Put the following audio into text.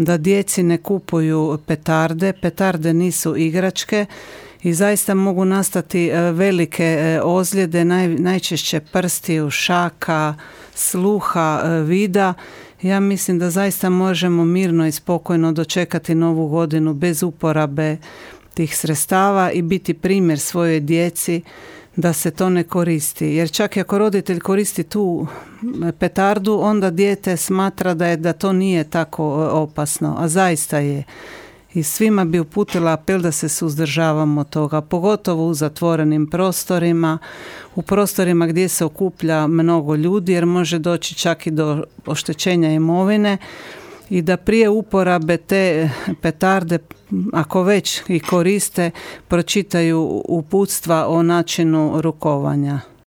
da djeci ne kupuju petarde. Petarde nisu igračke i zaista mogu nastati velike ozljede, najčešće prstiju, šaka, sluha, vida. Ja mislim da zaista možemo mirno i spokojno dočekati novu godinu bez uporabe tih sredstava i biti primjer svojoj djeci da se to ne koristi. Jer čak i ako roditelj koristi tu petardu, onda dijete smatra da to nije tako opasno, a zaista je. I svima bi uputila apel da se suzdržavamo toga, pogotovo u zatvorenim prostorima, u prostorima gdje se okuplja mnogo ljudi, jer može doći čak i do oštećenja imovine, i da prije uporabe te petarde, ako već i koriste, pročitaju uputstva o načinu rukovanja.